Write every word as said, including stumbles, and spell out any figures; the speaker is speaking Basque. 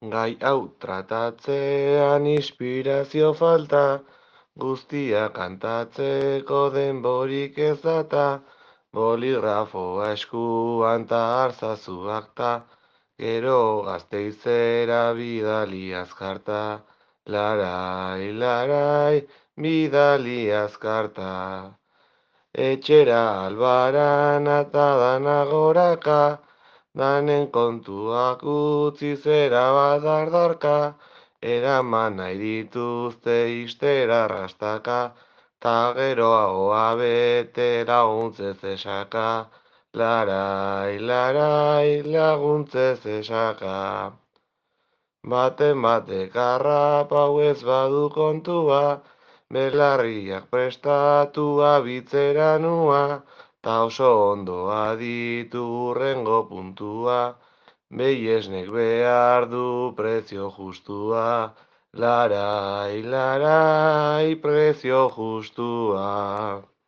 Gai hau tratatzean inspirazio falta, guztia kantatzeko denborik ez data, boligrafoa eskuan ta arzazu akta, gero Gasteizera bidali azkarta, larai, larai, bidali azkarta. Etxera albaran eta danagoraka, danen kontuak utzi zera badardarka, eraman nahi dituzte ixtera rastaka, ta gero ahoa bete laguntzez esaka, larai, larai, laguntzez esaka. Baten batek harrapau ez badu kontua, belarriak prestatua bitzera nua, ta oso ondo aditu hurrengo puntua, behiesnek behar du prezio justua, larai, larai, prezio justua.